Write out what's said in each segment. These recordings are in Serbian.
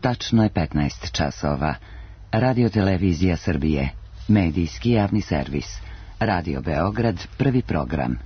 Tačno je 15 časova. Radio Televizija Srbije. Medijski javni servis. Radio Beograd, prvi program.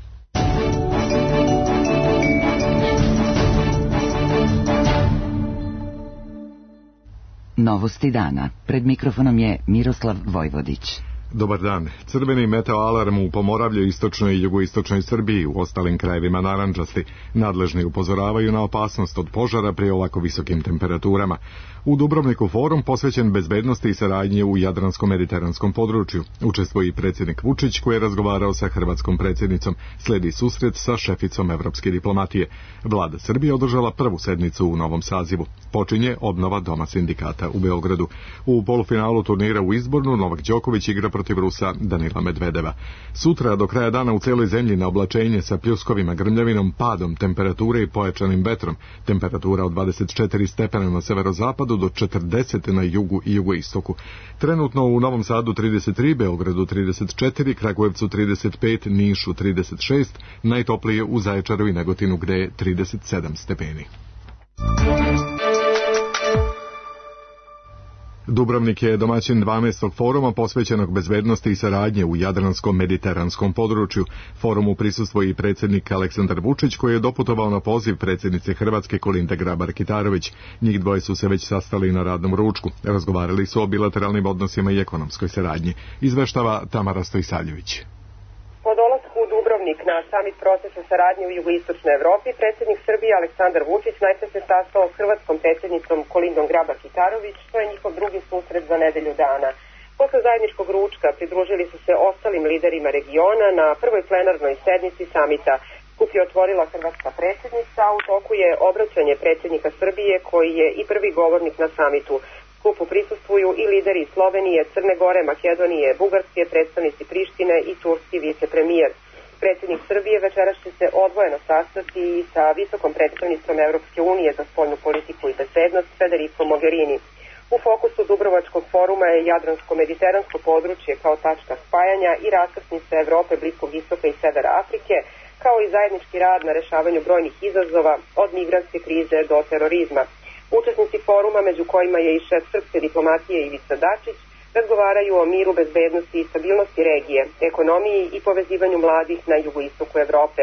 Novosti dana. Pred mikrofonom je Miroslav Vojvodić. Dobar dan. Crveni meteoalarm u Pomoravlju, istočnoj i jugoistočnoj Srbiji, u ostalim krajevima narandžasti. Nadležni upozoravaju na opasnost od požara pri ovako visokim temperaturama. U Dubrovniku forum posvećen bezbednosti i saradnje u Jadransko-mediteranskom području. Učestvuje i predsjednik Vučić, koji je razgovarao sa hrvatskom predsjednicom. Sledi susret sa šeficom evropske diplomatije. Vlada Srbije održala prvu sednicu u novom sazivu. Počinje obnova Doma sindikata u Beogradu. U polufinalu turnira u Izbornu Novak Đoković igra protiv Rusa Danila Medvedeva. Sutra do kraja dana u celoj zemlji na oblačenje sa pljuskovima, grmljavinom, padom temperature i pojačanim vetrom. Temperatura od 24 stepena na severozapadu do 40 na jugu i jugoistoku. Trenutno u Novom Sadu 33, Beogradu 34, Kragujevcu 35, Nišu 36, najtoplije u Zaječaru i Negotinu gde je 37 stepeni. Dubrovnik je domaćin 12. foruma posvećenog bezbednosti i saradnje u Jadransko-mediteranskom području. Forumu prisustvuje i predsjednik Aleksandar Vučić, koji je doputovao na poziv predsjednice Hrvatske Kolinde Grabar-Kitarović. Njih dvoje su se već sastali na radnom ručku. Razgovarali su o bilateralnim odnosima i ekonomskoj saradnji. Izveštava Tamara Stojsaljević. Po dolasku u Dubrovnik na samit procesa saradnje u jugoistočnoj Evropi, predsjednik Srbije Aleksandar Vučić najpre se sastao s hrvatskom predsjednicom Kolindom Grabar-Kitarović, što je njihov drugi susret za nedelju dana. Posle zajedničkog ručka pridružili su se ostalim liderima regiona na prvoj plenarnoj sednici samita. Skup je otvorila hrvatska predsjednica, a u toku je obraćanje predsjednika Srbije, koji je i prvi govornik na samitu. Skupu prisustvuju i lideri Slovenije, Crne Gore, Makedonije, Bugarske, predstavnici Prištine i turski vicepremijer. Predsjednik Srbije večeras će se odvojeno sastati i sa visokom predstavnicom Evropske unije za spoljnu politiku i bezbednost Federico Mogherini. U fokusu Dubrovačkog foruma je Jadransko-mediteransko područje kao tačka spajanja i raskrsnica Evrope, Bliskog istoka i Severa Afrike, kao i zajednički rad na rešavanju brojnih izazova od migrantske krize do terorizma. Učesnici foruma, među kojima je i šef srpske diplomatije Ivica Dačić, razgovaraju o miru, bezbednosti i stabilnosti regije, ekonomiji i povezivanju mladih na jugoistoku Evrope.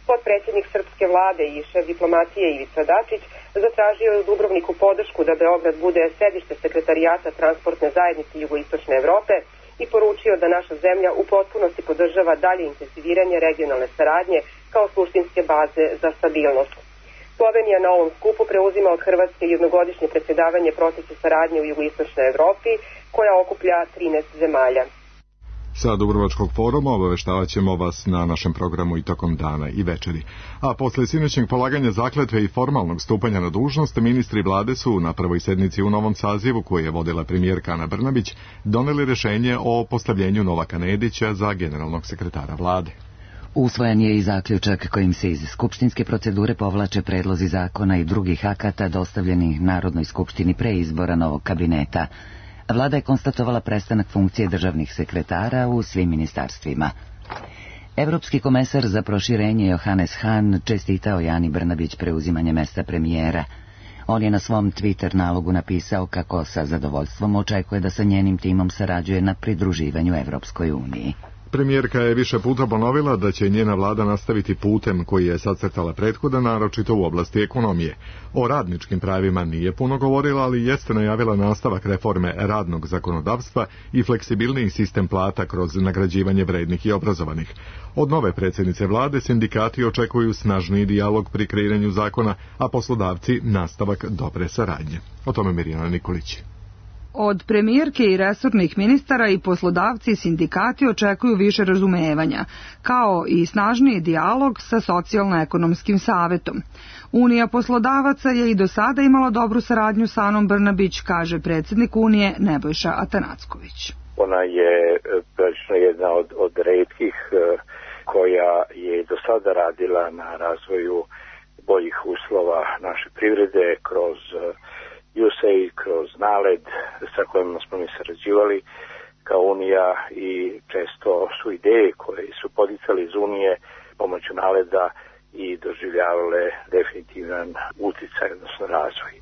Potpredsjednik srpske vlade i šef diplomatije Ivica Dačić zatražio je u Dubrovniku podršku da Beograd bude sedište sekretarijata transportne zajednice jugoistočne Evrope i poručio da naša zemlja u potpunosti podržava dalje intenziviranje regionalne saradnje kao suštinske baze za stabilnost. Slovenija na ovom skupu preuzima od Hrvatske jednogodišnje predsjedavanje procesu saradnje u jugoistočnoj Evropi, koja okuplja 13 zemalja. Sa Dubrovačkog foruma obaveštavat ćemo vas na našem programu i tokom dana i večeri. A posle sinoćnjeg polaganja zakletve i formalnog stupanja na dužnost, ministri vlade su na prvoj sednici u novom sazivu, koju je vodila premijerka Ana Brnabić, doneli rešenje o postavljenju Novaka Nedića za generalnog sekretara vlade. Usvojen je i zaključak kojim se iz skupštinske procedure povlače predlozi zakona i drugih akata dostavljenih Narodnoj skupštini pre izbora novog kabineta. Vlada je konstatovala prestanak funkcije državnih sekretara u svim ministarstvima. Evropski komesar za proširenje Johannes Hahn čestitao Ani Brnabić preuzimanje mesta premijera. On je na svom Twitter nalogu napisao kako sa zadovoljstvom očekuje da sa njenim timom sarađuje na pridruživanju Evropskoj uniji. Premijerka je više puta ponovila da će njena vlada nastaviti putem koji je sacrtala prethodna, naročito u oblasti ekonomije. O radničkim pravima nije puno govorila, ali jeste najavila nastavak reforme radnog zakonodavstva i fleksibilniji sistem plata kroz nagrađivanje vrednih i obrazovanih. Od nove predsjednice vlade sindikati očekuju snažniji dijalog pri kreiranju zakona, a poslodavci nastavak dobre saradnje. O tome Mirjana Nikolić. Od premijerke i resornih ministara i poslodavci i sindikati očekuju više razumevanja, kao i snažniji dijalog sa socijalno-ekonomskim savetom. Unija poslodavaca je i do sada imala dobru saradnju sa Anom Brnabić, kaže predsjednik Unije Nebojša Atanacković. Ona je prilično jedna od retkih koja je do sada radila na razvoju boljih uslova naše privrede kroz USAID, kroz NALED sa kojima smo mi sarađivali kao Unija i često su ideje koje su podicali iz Unije pomoću NALED-a i doživljavale definitivan uticaj, odnosno razvoj.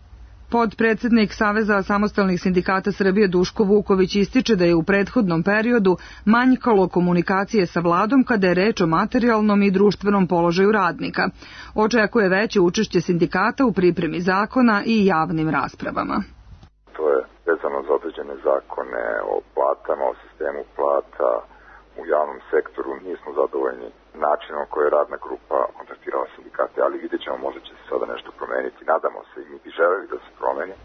Podpredsednik Saveza samostalnih sindikata Srbije Duško Vuković ističe da je u prethodnom periodu manjkalo komunikacije sa vladom kada je reč o materijalnom i društvenom položaju radnika. Očekuje veće učešće sindikata u pripremi zakona i javnim raspravama. To je vezano za određene zakone o platama, o sistemu plata u javnom sektoru. Nismo zadovoljni načinom koji je radna grupa kontaktirala sindikate, ali vidjet ćemo, možda će se sada nešto promeniti. Nadamo se i mi bi želeli da se promeni.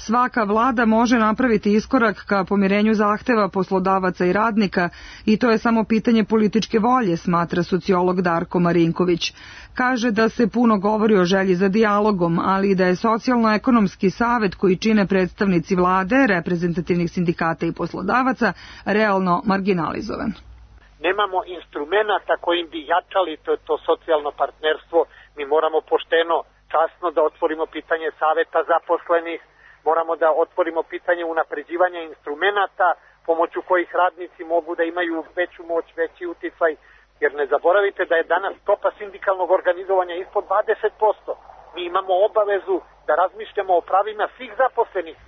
Svaka vlada može napraviti iskorak ka pomirenju zahteva poslodavaca i radnika i to je samo pitanje političke volje, smatra sociolog Darko Marinković. Kaže da se puno govori o želji za dijalogom, ali da je socijalno-ekonomski savet koji čine predstavnici vlade, reprezentativnih sindikata i poslodavaca realno marginalizovan. Nemamo instrumenta kojim bi jačali to socijalno partnerstvo. Mi moramo pošteno, časno da otvorimo pitanje saveta zaposlenih, moramo da otvorimo pitanje unapređivanja instrumenta pomoću kojih radnici mogu da imaju veću moć, veći uticaj, jer ne zaboravite da je danas stopa sindikalnog organizovanja ispod 20%. Mi imamo obavezu da razmišljamo o pravima svih zaposlenih.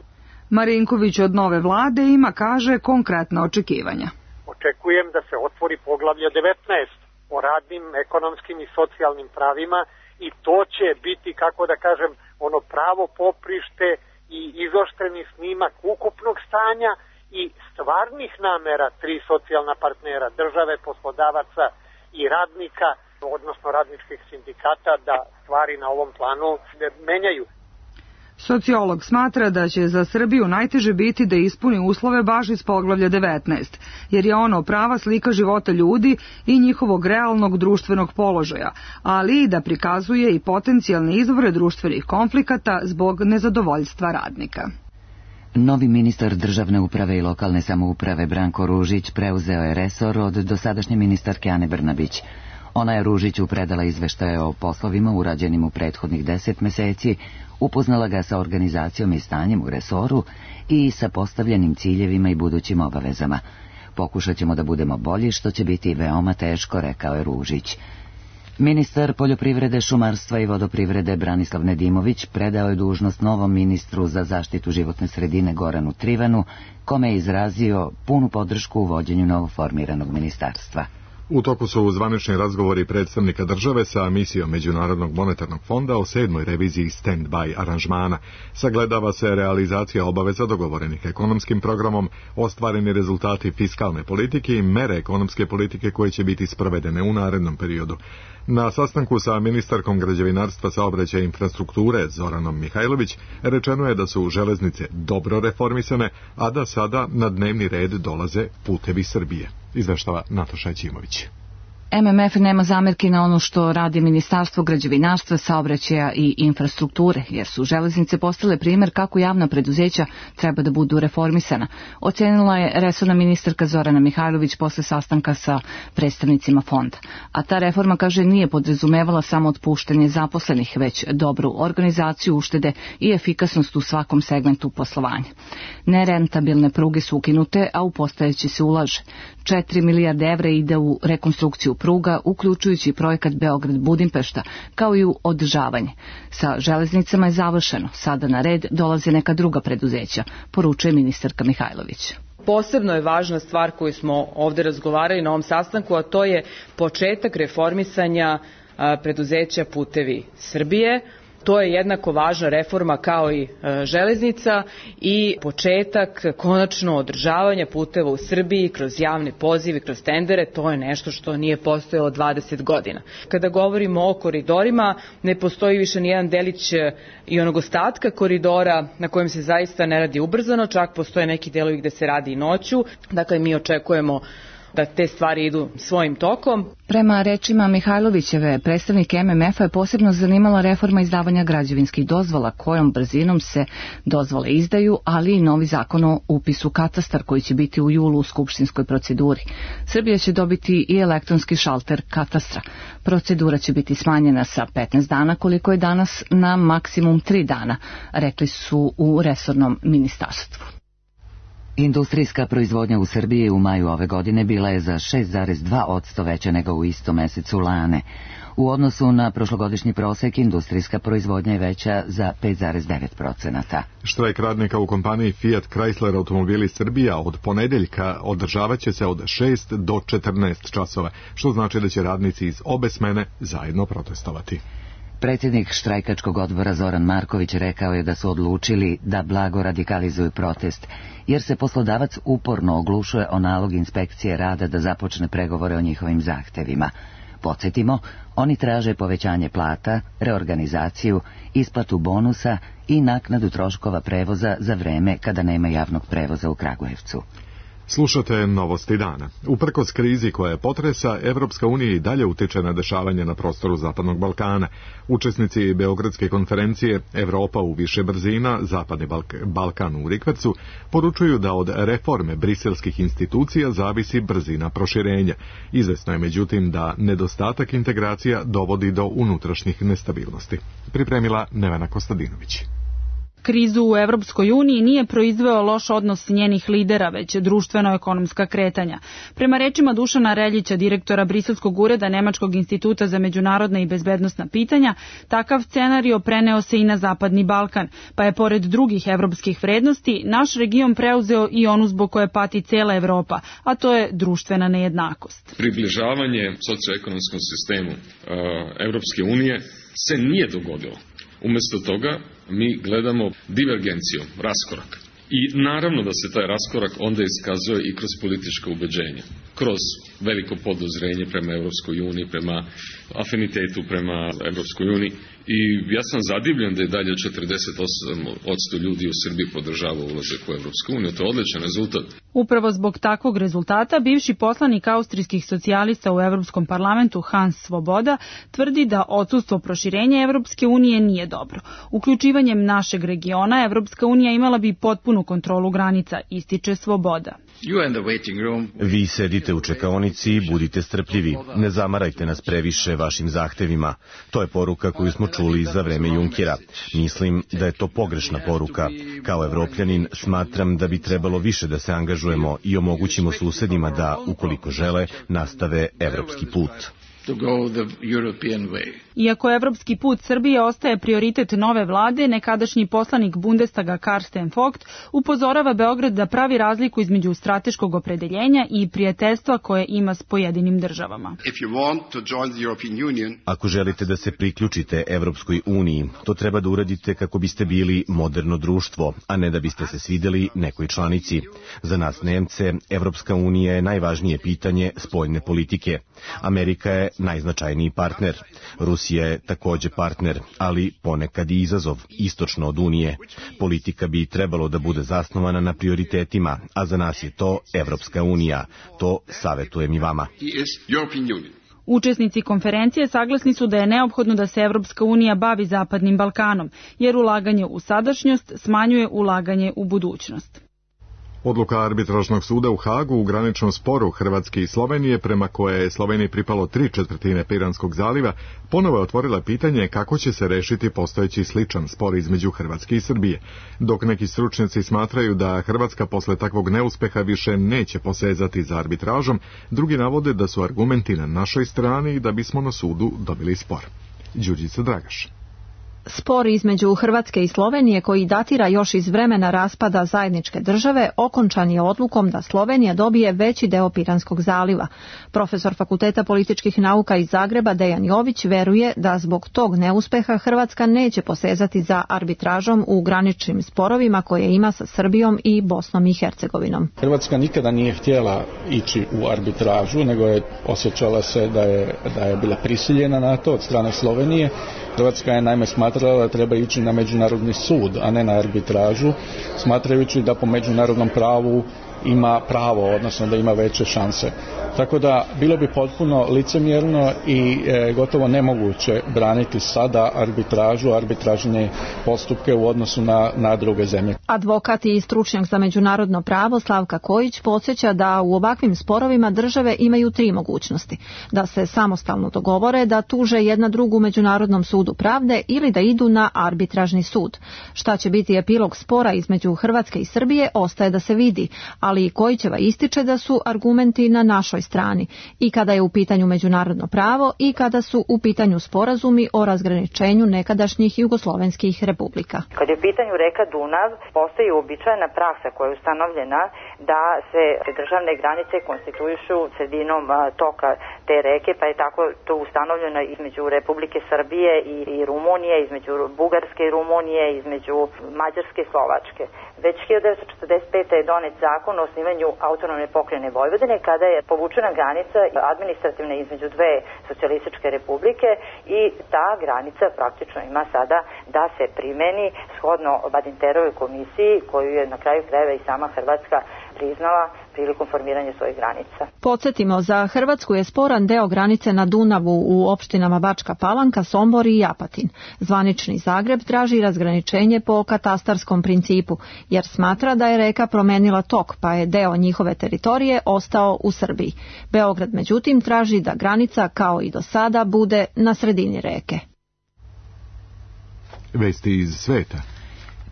Marinković od nove vlade ima, kaže, konkretna očekivanja. Očekujem da se otvori poglavlje 19 o radnim, ekonomskim i socijalnim pravima i to će biti, kako da kažem, ono pravo poprište i izoštreni snimak ukupnog stanja i stvarnih namera tri socijalna partnera, države, poslodavaca i radnika, odnosno radničkih sindikata, da stvari na ovom planu menjaju. Sociolog smatra da će za Srbiju najteže biti da ispuni uslove baš iz poglavlja 19, jer je ono prava slika života ljudi i njihovog realnog društvenog položaja, ali i da prikazuje i potencijalne izvore društvenih konflikata zbog nezadovoljstva radnika. Novi ministar državne uprave i lokalne samouprave Branko Ružić preuzeo je resor od dosadašnje ministarke Ane Brnabić. Ona je Ružiću predala izveštaje o poslovima urađenim u prethodnih 10 meseci, upoznala ga sa organizacijom i stanjem u resoru i sa postavljenim ciljevima i budućim obavezama. Pokušat ćemo da budemo bolji, što će biti veoma teško, rekao je Ružić. Ministar poljoprivrede, šumarstva i vodoprivrede Branislav Nedimović predao je dužnost novom ministru za zaštitu životne sredine Goranu Trivanu, kome je izrazio punu podršku u vođenju novoformiranog ministarstva. U toku su zvanični razgovori predstavnika države sa misijom Međunarodnog monetarnog fonda o 7. reviziji stand-by aranžmana. Sagledava se realizacija obaveza dogovorenih ekonomskim programom, ostvareni rezultati fiskalne politike i mere ekonomske politike koje će biti sprovedene u narednom periodu. Na sastanku sa ministarkom građevinarstva, saobraćaja i infrastrukture Zoranom Mihajlović rečeno je da su železnice dobro reformisane, a da sada na dnevni red dolaze putevi Srbije. Izveštava Nataša Ćimović. MMF nema zamerki na ono što radi Ministarstvo građevinarstva, saobraćaja i infrastrukture, jer su železnice postale primer kako javna preduzeća treba da budu reformisana. Ocenila je resorna ministarka Zorana Mihajlović posle sastanka sa predstavnicima fonda. A ta reforma, kaže, nije podrazumevala samo otpuštanje zaposlenih, već dobru organizaciju, uštede i efikasnost u svakom segmentu poslovanja. Nerentabilne pruge su ukinute, a u postojeće se ulaže. 4 milijarde evra ide u rekonstrukciju pruga, uključujući projekat Beograd-Budimpešta, kao i u održavanje. Sa železnicama je završeno, sada na red dolaze neka druga preduzeća, poručuje ministarka Mihajlović. Posebno je važna stvar koju smo ovde razgovarali na ovom sastanku, a to je početak reformisanja preduzeća Putevi Srbije. To je jednako važna reforma kao i železnica i početak konačno održavanja puteva u Srbiji kroz javne pozive, kroz tendere. To je nešto što nije postojalo 20 godina. Kada govorimo o koridorima, ne postoji više nijedan delić i onog ostatka koridora na kojem se zaista ne radi ubrzano, čak postoje neki delovi gde se radi i noću. Dakle, mi očekujemo da te stvari idu svojim tokom. Prema rečima Mihajlovićeve, predstavnik MMF-a je posebno zanimala reforma izdavanja građevinskih dozvola, kojom brzinom se dozvole izdaju, ali i novi zakon o upisu katastar koji će biti u julu u skupštinskoj proceduri. Srbija će dobiti i elektronski šalter katastra. Procedura će biti smanjena sa 15 dana koliko je danas na maksimum 3 dana, rekli su u resornom ministarstvu. Industrijska proizvodnja u Srbiji u maju ove godine bila je za 6,2% veća nego u istom mesecu lane. U odnosu na prošlogodišnji prosek, industrijska proizvodnja je veća za 5,9%. Štrajk radnika u kompaniji Fiat Chrysler Automobili Srbija od ponedeljka održavat će se od 6 do 14 časova, što znači da će radnici iz obe smene zajedno protestovati. Predsjednik štrajkačkog odbora Zoran Marković rekao je da su odlučili da blago radikalizuju protest, jer se poslodavac uporno oglušuje o nalog inspekcije rada da započne pregovore o njihovim zahtevima. Podsjetimo, oni traže povećanje plata, reorganizaciju, isplatu bonusa i naknadu troškova prevoza za vreme kada nema javnog prevoza u Kragujevcu. Slušate Novosti dana. Uprkos krizi koja je potresa, Evropska unija i dalje utiče na dešavanje na prostoru Zapadnog Balkana. Učesnici Beogradske konferencije Evropa u više brzina, Zapadni Balkan u rikvercu, poručuju da od reforme briselskih institucija zavisi brzina proširenja. Izvesno je međutim da nedostatak integracija dovodi do unutrašnjih nestabilnosti. Pripremila Nevena Kostadinović. Krizu u Evropskoj uniji nije proizveo loš odnos njenih lidera, već društveno-ekonomska kretanja. Prema rečima Dušana Reljića, direktora Briselskog ureda Nemačkog instituta za međunarodna i bezbednosna pitanja, takav scenario preneo se i na Zapadni Balkan, pa je pored drugih evropskih vrednosti naš region preuzeo i onu zbog koje pati cela Evropa, a to je društvena nejednakost. Približavanje socioekonomskom sistemu Evropske unije se nije dogodilo. Umjesto toga mi gledamo divergenciju, raskorak. I naravno da se taj raskorak onda iskazuje i kroz političko ubeđenje, kroz veliko podozrenje prema Evropskoj uniji, prema afinitetu prema Evropskoj uniji. I ja sam zadivljen da je dalje 48% ljudi u Srbiji podržava ulazak u Evropsku uniju. To je odličan rezultat. Upravo zbog takvog rezultata bivši poslanik austrijskih socijalista u Evropskom parlamentu Hans Svoboda tvrdi da odsustvo proširenja Evropske unije nije dobro. Uključivanjem našeg regiona Evropska unija imala bi potpunu kontrolu granica, ističe Svoboda. Vi sedite u čekaonici i budite strpljivi. Ne zamarajte nas previše vašim zahtevima. To je poruka koju smo čuli za vreme Junkera. Mislim da je to pogrešna poruka. Kao Evropljanin smatram da bi trebalo više da se angažujemo i omogućimo susedima da, ukoliko žele, nastave evropski put. Iako evropski put Srbije ostaje prioritet nove vlade, nekadašnji poslanik Bundestaga Karsten Vogt upozorava Beograd da pravi razliku između strateškog opredeljenja i prijateljstva koje ima s pojedinim državama. Ako želite da se priključite Evropskoj uniji, to treba da uradite kako biste bili moderno društvo, a ne da biste se svideli nekoj članici. Za nas Nemce, Evropska unija je najvažnije pitanje spoljne politike. Amerika je najznačajniji partner. Rusija je takođe partner, ali ponekad i izazov, istočno od Unije. Politika bi trebalo da bude zasnovana na prioritetima, a za nas je to Evropska unija. To savetujem i vama. Učesnici konferencije saglasni su da je neophodno da se Evropska unija bavi Zapadnim Balkanom, jer ulaganje u sadašnjost smanjuje ulaganje u budućnost. Odluka arbitražnog suda u Hagu u graničnom sporu Hrvatske i Slovenije, prema koje je Sloveniji pripalo 3/4 Piranskog zaliva, ponovo je otvorila pitanje kako će se rešiti postojeći sličan spor između Hrvatske i Srbije. Dok neki stručnjaci smatraju da Hrvatska posle takvog neuspeha više neće posezati za arbitražom, drugi navode da su argumenti na našoj strani i da bismo na sudu dobili spor. Đurđica Dragaš. Spor između Hrvatske i Slovenije, koji datira još iz vremena raspada zajedničke države, okončan je odlukom da Slovenija dobije veći deo Piranskog zaliva. Profesor Fakulteta političkih nauka iz Zagreba Dejan Jović veruje da zbog tog neuspeha Hrvatska neće posezati za arbitražom u graničnim sporovima koje ima sa Srbijom i Bosnom i Hercegovinom. Hrvatska nikada nije htjela ići u arbitražu, nego je osjećala se da je bila prisiljena na to od strane Slovenije. Hrvatska je naime smatrala da treba ići na međunarodni sud, a ne na arbitražu, smatrajući da po međunarodnom pravu ima pravo, odnosno da ima veće šanse. Tako da bilo bi potpuno licemjerno i gotovo nemoguće braniti sada arbitražne postupke u odnosu na druge zemlje. Advokat i stručnjak za međunarodno pravo Slavka Kojić podsjeća da u ovakvim sporovima države imaju 3 mogućnosti. Da se samostalno dogovore, da tuže jedna drugu Međunarodnom sudu pravde ili da idu na arbitražni sud. Šta će biti epilog spora između Hrvatske i Srbije ostaje da se vidi, ali ali Kojićeva ističe da su argumenti na našoj strani i kada je u pitanju međunarodno pravo i kada su u pitanju sporazumi o razgraničenju nekadašnjih jugoslovenskih republika. Kad je u pitanju reka Dunav, postoji uobičajena praksa koja je ustanovljena da se državne granice konstituišu sredinom toka te reke, pa je tako to ustanovljeno između Republike Srbije i Rumunije, između Bugarske i Rumunije, između Mađarske i Slovačke. Već 1945. je donet zakon o osnivanju autonomne pokrajine Vojvodine kada je povučena granica administrativna između dve socijalističke republike i ta granica praktično ima sada da se primeni shodno Badinterovoj komisiji koju je na kraju krajeva i sama Hrvatska priznala prilikom formiranja svojih granica. Podsjetimo, za Hrvatsku je sporan deo granice na Dunavu u opštinama Bačka Palanka, Sombor i Apatin. Zvanični Zagreb traži razgraničenje po katastarskom principu, jer smatra da je reka promenila tok, pa je deo njihove teritorije ostao u Srbiji. Beograd, međutim, traži da granica, kao i do sada, bude na sredini reke. Vesti iz sveta.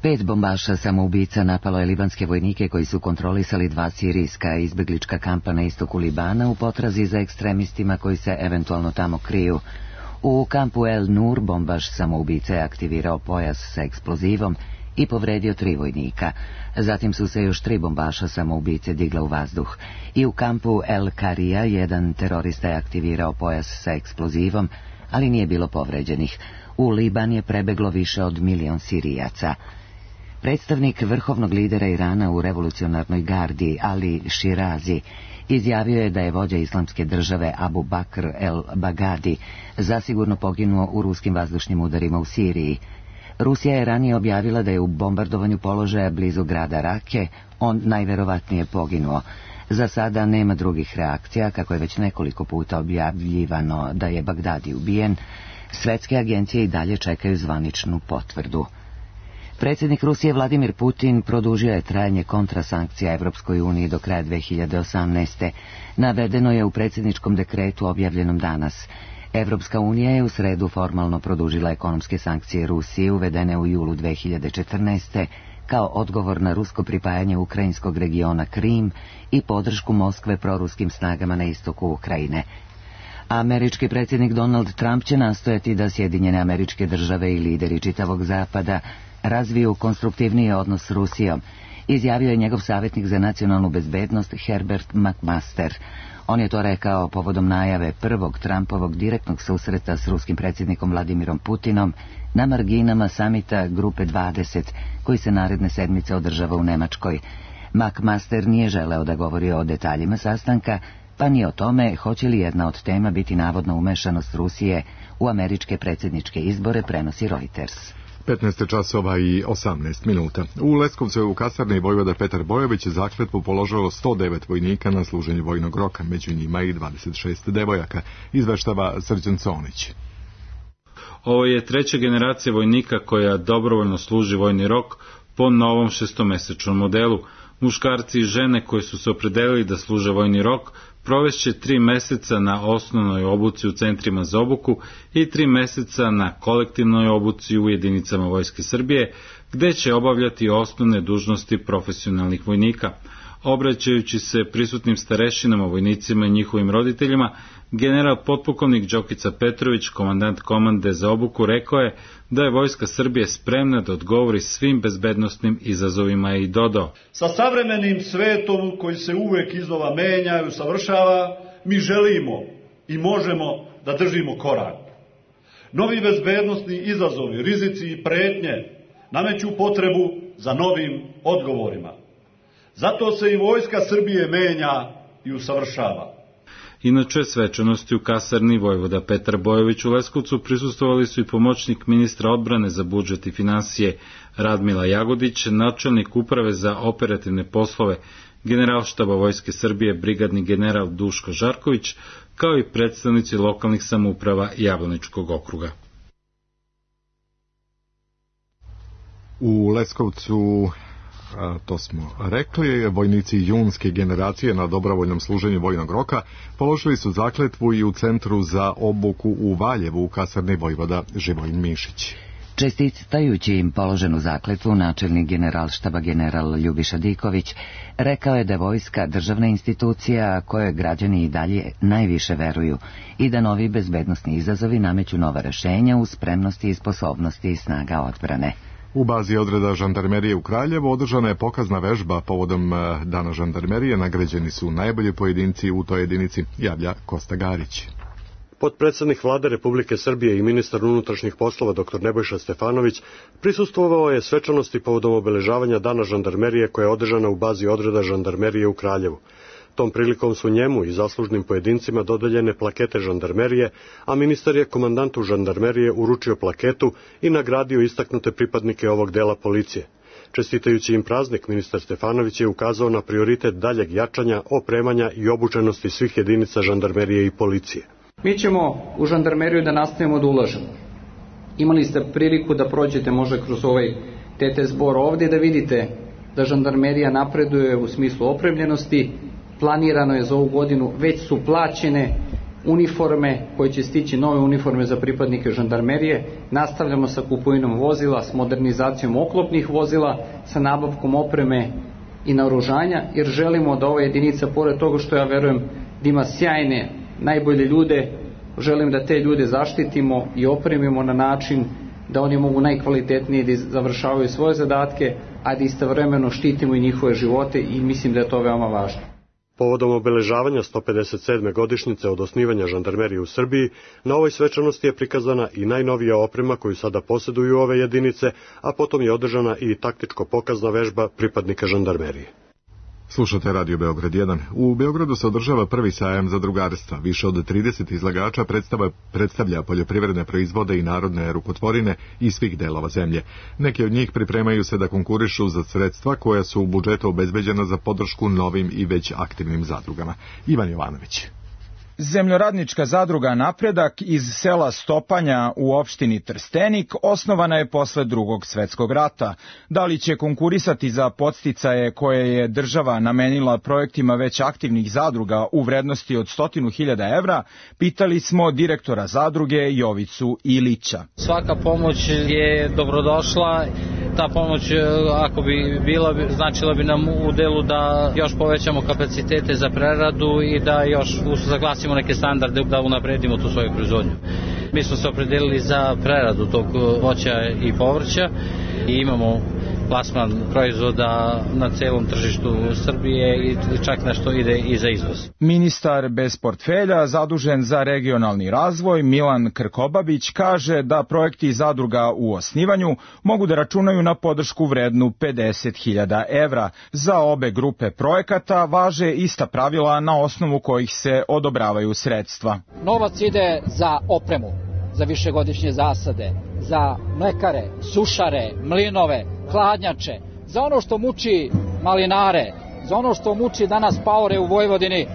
5 bombaša samoubica napalo je libanske vojnike koji su kontrolisali 2 sirijska izbeglička kampa na istoku Libana u potrazi za ekstremistima koji se eventualno tamo kriju. U kampu El Nur bombaš samoubica je aktivirao pojas sa eksplozivom i povredio 3 vojnika. Zatim su se još 3 bombaša samoubice digla u vazduh. I u kampu El Karija jedan terorista je aktivirao pojas sa eksplozivom, ali nije bilo povređenih. U Liban je prebeglo više od 1 milion Sirijaca. Predstavnik vrhovnog lidera Irana u revolucionarnoj gardi, Ali Shirazi, izjavio je da je vođa islamske države Abu Bakr el-Baghdadi zasigurno poginuo u ruskim vazdušnim udarima u Siriji. Rusija je ranije objavila da je u bombardovanju položaja blizu grada Rake on najverovatnije poginuo. Za sada nema drugih reakcija, kako je već nekoliko puta objavljivano da je Bagdadi ubijen. Svetske agencije i dalje čekaju zvaničnu potvrdu. Predsjednik Rusije Vladimir Putin produžio je trajanje kontrasankcija Evropskoj uniji do kraja 2018. Navedeno je u predsjedničkom dekretu objavljenom danas. Evropska unija je u sredu formalno produžila ekonomske sankcije Rusiji uvedene u julu 2014. kao odgovor na rusko pripajanje ukrajinskog regiona Krim i podršku Moskve proruskim snagama na istoku Ukrajine. Američki predsjednik Donald Trump će nastojati da Sjedinjene Američke Države i lideri čitavog zapada razviju konstruktivniji odnos s Rusijom, izjavio je njegov savjetnik za nacionalnu bezbednost Herbert McMaster. On je to rekao povodom najave prvog Trumpovog direktnog susreta s ruskim predsjednikom Vladimirom Putinom na marginama samita Grupe 20, koji se naredne sedmice održava u Nemačkoj. McMaster nije želeo da govori o detaljima sastanka, pa ni o tome hoće li jedna od tema biti navodno umešanost Rusije u američke predsjedničke izbore, prenosi Reuters. 15 časova i 18 minuta. U Leskovcu je u kasarni vojvoda Petar Bojović zakletvu položilo 109 vojnika na služenju vojnog roka, među njima i 26 devojaka, izveštava Srđan Conić. Ovo je 3. generacija vojnika koja dobrovoljno služi vojni rok po novom 6-mesečnom modelu. Muškarci i žene koji su se opredelili da služe vojni rok provešće 3 meseca na osnovnoj obuci u centrima za obuku i 3 meseca na kolektivnoj obuci u jedinicama Vojske Srbije, gde će obavljati osnovne dužnosti profesionalnih vojnika. Obraćajući se prisutnim starešinama, vojnicima i njihovim roditeljima, general potpukovnik Đokica Petrović, komandant komande za obuku, rekao je da je Vojska Srbije spremna da odgovori svim bezbednosnim izazovima i dodao: sa savremenim svetom koji se uvek iznova menja i usavršava, mi želimo i možemo da držimo korak. Novi bezbednosni izazovi, rizici i pretnje nameću potrebu za novim odgovorima. Zato se i Vojska Srbije menja i usavršava. Inače, svečanosti u kasarni vojvoda Petar Bojović u Leskovcu prisustvovali su i pomoćnik ministra odbrane za budžet i finansije Radmila Jagodić, načelnik uprave za operativne poslove Generalštaba Vojske Srbije brigadni general Duško Žarković, kao i predstavnici lokalnih samouprava Jablaničkog okruga. U Leskovcu, to smo rekli, vojnici junske generacije na dobrovoljnom služenju vojnog roka položili su zakletvu i u Centru za obuku u Valjevu u kasarni vojvoda Živojin Mišić. Čestitajući im položenu zakletvu, načelnik Generalštaba general Ljubiša Diković rekao je da je vojska državna institucija kojoj građani i dalje najviše veruju i da novi bezbednosni izazovi nameću nova rešenja u spremnosti i sposobnosti snaga odbrane. U bazi odreda žandarmerije u Kraljevu održana je pokazna vežba povodom Dana žandarmerije. Nagrađeni su najbolji pojedinci u toj jedinici, javlja Kosta Garić. Potpredsednik Vlade Republike Srbije i ministar unutrašnjih poslova dr. Nebojša Stefanović prisustvovao je svečanosti povodom obeležavanja Dana žandarmerije koja je održana u bazi odreda žandarmerije u Kraljevu. Tom prilikom su njemu i zaslužnim pojedincima dodeljene plakete žandarmerije, a ministar je komandantu žandarmerije uručio plaketu i nagradio istaknute pripadnike ovog dela policije. Čestitajući im praznik, ministar Stefanović je ukazao na prioritet daljeg jačanja, opremanja i obučenosti svih jedinica žandarmerije i policije. Mi ćemo u žandarmeriju da nastavimo da ulažemo. Imali ste priliku da prođete možda kroz ovaj TT zbor ovdje da vidite da žandarmerija napreduje u smislu opremljenosti. Planirano je za ovu godinu, već su plaćene uniforme koje će stići, nove uniforme za pripadnike žandarmerije. Nastavljamo sa kupovinom vozila, s modernizacijom oklopnih vozila, sa nabavkom opreme i naoružanja, jer želimo da ova jedinica, pored toga što ja verujem da ima sjajne, najbolje ljude, želim da te ljude zaštitimo i opremimo na način da oni mogu najkvalitetnije da završavaju svoje zadatke, a da istovremeno štitimo i njihove živote i mislim da je to veoma važno. Povodom obeležavanja 157. godišnjice od osnivanja žandarmerije u Srbiji, na ovoj svečanosti je prikazana i najnovija oprema koju sada posjeduju ove jedinice, a potom je održana i taktičko-pokazna vežba pripadnika žandarmerije. Slušate Radio Beograd 1. U Beogradu se održava prvi sajam zadrugarstva. Više od 30 izlagača predstavlja poljoprivredne proizvode i narodne rukotvorine iz svih delova zemlje. Neki od njih pripremaju se da konkurišu za sredstva koja su u budžetu obezbeđena za podršku novim i već aktivnim zadrugama. Ivan Jovanović. Zemljoradnička zadruga Napredak iz sela Stopanja u opštini Trstenik osnovana je posle Drugog svetskog rata. Da li će konkurisati za podsticaje koje je država namenila projektima već aktivnih zadruga u vrednosti od 100.000 evra, pitali smo direktora zadruge Jovicu Ilića. Svaka pomoć je dobrodošla. Ta pomoć, ako bi bila, značila bi nam u delu da još povećamo kapacitete za preradu i da još usaglasimo neke standarde da unapredimo tu svoju proizvodnju. Mi smo se opredelili za preradu tog voća i povrća i imamo plasman proizvoda na celom tržištu Srbije i čak nešto ide i za izvoz. Ministar bez portfelja zadužen za regionalni razvoj Milan Krkobabić kaže da projekti zadruga u osnivanju mogu da računaju na podršku vrednu 50.000 evra. Za obe grupe projekata važe ista pravila na osnovu kojih se odobravaju sredstva. Novac ide za opremu, za višegodišnje zasade, za mlekare, sušare, mlinove, hladnjače, za ono što muči malinare, za ono što muči danas paore u Vojvodini,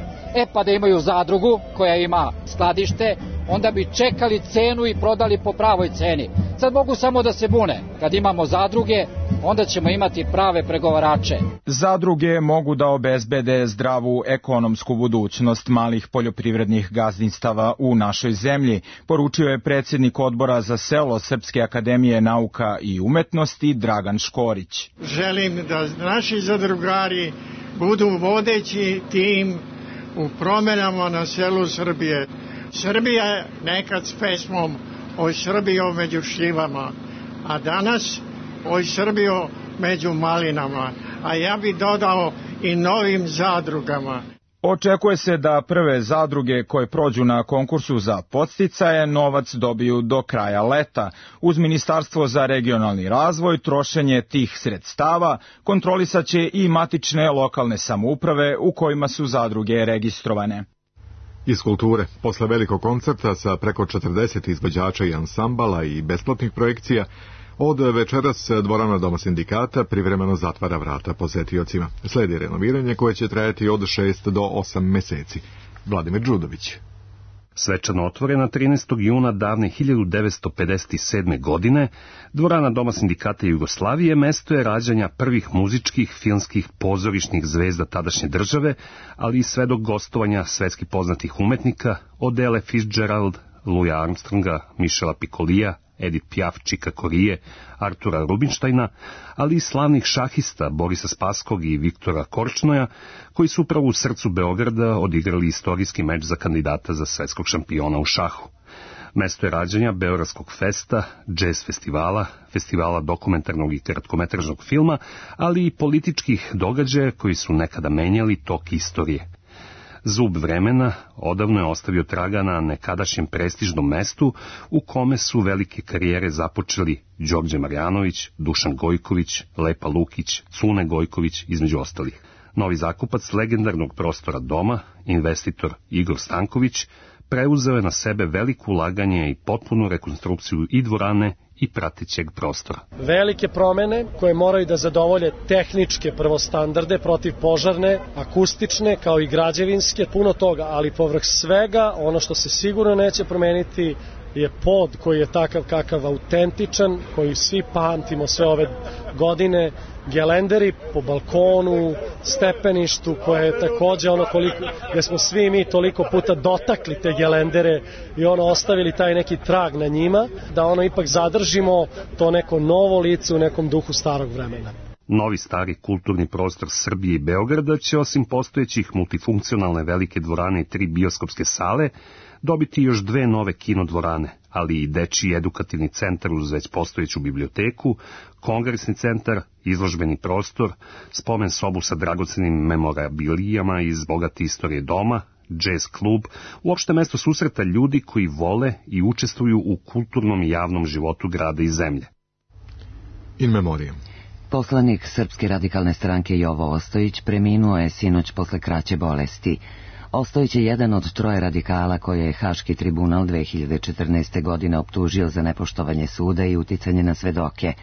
pa da imaju zadrugu koja ima skladište, onda bi čekali cenu i prodali po pravoj ceni. Sad mogu samo da se bune. Kad imamo zadruge, onda ćemo imati prave pregovarače. Zadruge mogu da obezbede zdravu ekonomsku budućnost malih poljoprivrednih gazdinstava u našoj zemlji, poručio je predsjednik odbora za selo Srpske akademije nauka i umetnosti Dragan Škorić. Želim da naši zadrugari budu vodeći tim u promjenama na selu Srbije. Srbija je nekad s pesmom Oj Srbijo među šljivama, a danas Oj Srbijo među malinama, a ja bih dodao i novim zadrugama. Očekuje se da prve zadruge koje prođu na konkursu za podsticaje novac dobiju do kraja leta. Uz Ministarstvo za regionalni razvoj trošenje tih sredstava kontrolisaće i matične lokalne samouprave u kojima su zadruge registrovane. Iz kulture, posle velikog koncerta sa preko 40 izvođača i ansambala i besplatnih projekcija, od večeras dvorana Doma sindikata privremeno zatvara vrata posetiocima. Sledi renoviranje koje će trajati od 6 do 8 meseci. Vladimir Đudović. Svečano otvorena 13. juna davne 1957. godine, dvorana Doma sindikata Jugoslavije mesto je rađanja prvih muzičkih, filmskih, pozorišnih zvezda tadašnje države, ali i sve do gostovanja svetski poznatih umetnika od Elle Fitzgerald, Louisa Armstronga, Michela Piccolija, Edith Piaf, Čika Korije, Artura Rubinštajna, ali i slavnih šahista Borisa Spaskog i Viktora Korčnoja, koji su upravo u srcu Beograda odigrali istorijski meč za kandidata za svetskog šampiona u šahu. Mesto je rađanja Beogradskog festa, džez festivala, festivala dokumentarnog i kratkometražnog filma, ali i političkih događaja koji su nekada menjali tok istorije. Zub vremena odavno je ostavio traga na nekadašnjem prestižnom mestu u kome su velike karijere započeli Đorđe Marjanović, Dušan Gojković, Lepa Lukić, Cune Gojković, između ostalih. Novi zakupac legendarnog prostora doma, investitor Igor Stanković, preuzeo je na sebe veliko ulaganje i potpunu rekonstrukciju i dvorane i pratećeg prostora. Velike promene koje moraju da zadovolje tehničke prvostandarde, protivpožarne, akustične kao i građevinske, puno toga, ali povrh svega ono što se sigurno neće promeniti je pod koji je takav kakav autentičan, koji svi pamtimo sve ove godine, gelenderi po balkonu, stepeništu koje je takođe ono koliko, gde smo svi mi toliko puta dotakli te gelendere i ono ostavili taj neki trag na njima, da ono ipak zadržimo to neko novo lice u nekom duhu starog vremena. Novi stari kulturni prostor Srbije i Beograda će osim postojećih multifunkcionalne velike dvorane i 3 bioskopske sale dobiti još 2 nove kinodvorane, ali i dečiji edukativni centar uz već postojeću biblioteku, kongresni centar, izložbeni prostor, spomen sobu sa dragocenim memorabilijama iz bogate istorije doma, džez klub, uopšte mesto susreta ljudi koji vole i učestvuju u kulturnom i javnom životu grada i zemlje. In memoriam. Poslanik Srpske radikalne stranke Jovo Ostojić preminuo je sinoć posle kraće bolesti. Ostojić je jedan od 3 radikala koje je Haški tribunal 2014. godine optužio za nepoštovanje suda i uticanje na svedoke.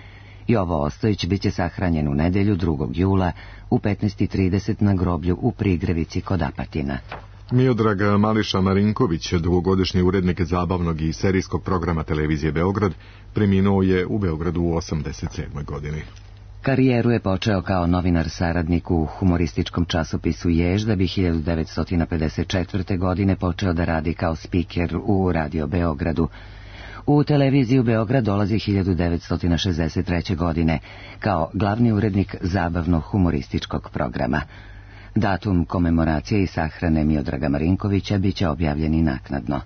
Jovo Ostojić biće sahranjen u nedelju 2. jula u 15:30 na groblju u Prigrevici kod Apatina. Miodrag Mališa Marinković, dugogodišnji urednik zabavnog i serijskog programa televizije Beograd, preminuo je u Beogradu u 87. godini. Karijeru je počeo kao novinar saradnik u humorističkom časopisu Jež, da bi 1954. godine počeo da radi kao spiker u Radio Beogradu. U televiziju Beograd dolazi 1963. godine kao glavni urednik zabavnog humorističkog programa. Datum komemoracije i sahrane Miodraga Marinkovića biće objavljeni naknadno.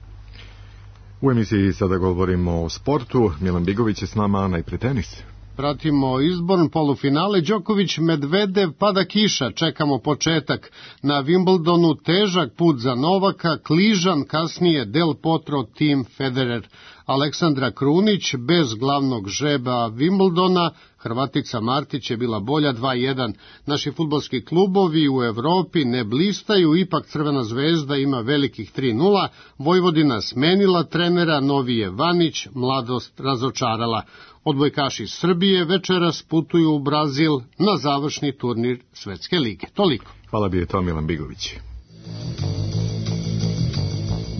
U emisiji sada govorimo o sportu. Milan Bigović je s nama, najpre tenis. Pratimo izborn polufinale, Đoković, Medvedev, pada kiša, čekamo početak. Na Wimbledonu težak put za Novaka, kližan, kasnije Del Potro, Tim Federer. Aleksandra Krunić bez glavnog žreba Wimbledona, Hrvatica Martić je bila bolja 2:1. Naši fudbalski klubovi u Evropi ne blistaju, ipak Crvena zvezda ima velikih 3:0, Vojvodina smenila trenera, novi je Vanić, mladost razočarala. Odbojkaši Srbije večeras putuju u Brazil na završni turnir Svetske lige. Toliko. Hvala bi je to Milan Bigović.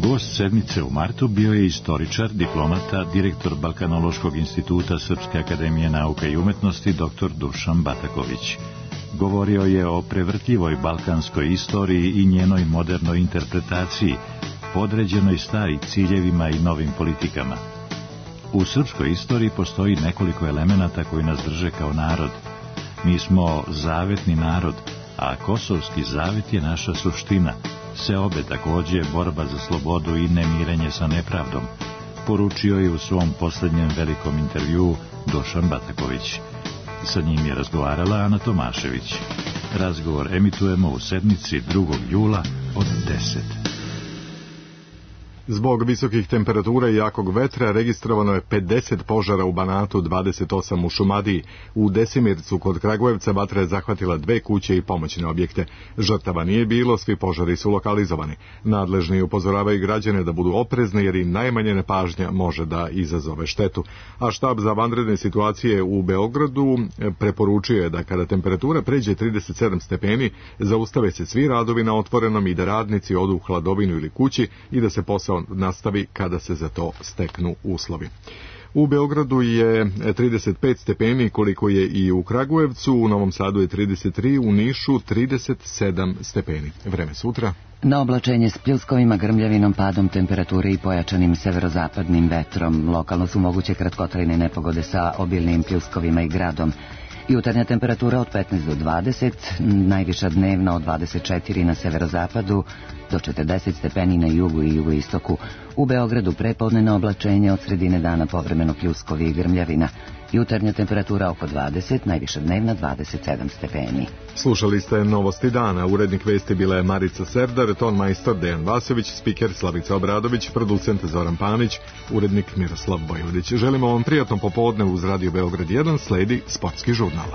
Gost sedmice u martu bio je istoričar, diplomata, direktor Balkanološkog instituta Srpske akademije nauka i umetnosti dr. Dušan Bataković. Govorio je o prevrtljivoj balkanskoj istoriji i njenoj modernoj interpretaciji, podređenoj starim ciljevima i novim politikama. U srpskoj istoriji postoji nekoliko elemenata koji nas drže kao narod. Mi smo zavetni narod, a kosovski zavet je naša suština. Seobe takođe borba za slobodu i nemirenje sa nepravdom, poručio je u svom poslednjem velikom intervjuu Dušan Bataković. Sa njim je razgovarala Ana Tomašević. Razgovor emitujemo u sedmici 2. jula od 10. Zbog visokih temperatura i jakog vetra registrovano je 50 požara u Banatu, 28 u Šumadiji. U Desimircu kod Kragujevca vatra je zahvatila 2 kuće i pomoćne objekte. Žrtava nije bilo, svi požari su lokalizovani. Nadležni upozoravaju građane da budu oprezni jer im najmanje nepažnja može da izazove štetu. A štab za vanredne situacije u Beogradu preporučio je da kada temperatura pređe 37 stepeni, zaustave se svi radovi na otvorenom i da radnici odu u hladovinu ili kući i da se posao nastavi kada se za to steknu uslovi. U Beogradu je 35 stepeni koliko je i u Kragujevcu, u Novom Sadu je 33, u Nišu 37 stepeni. Vreme sutra. Na oblačenje s pljuskovima, grmljavinom, padom temperature i pojačanim severozapadnim vetrom. Lokalno su moguće kratkotrajne nepogode sa obilnim pljuskovima i gradom. Jutarnja temperatura od 15 do 20, najviša dnevna od 24 na severozapadu do 40 stepeni na jugu i jugoistoku. U Beogradu prepodnevno oblačenje, od sredine dana povremeno pljuskovi i grmljavina. Jutarnja temperatura oko 20, najviša dnevna 27 stepeni. Slušali ste Novosti dana. Urednik vesti bila je Marica Serdar, ton majstor Dejan Vasović, spiker Slavica Obradović, producent Zoran Panić, urednik Miroslav Bojvodić. Želimo vam prijatno popodne uz Radio Beograd 1, sledi sportski žurnal.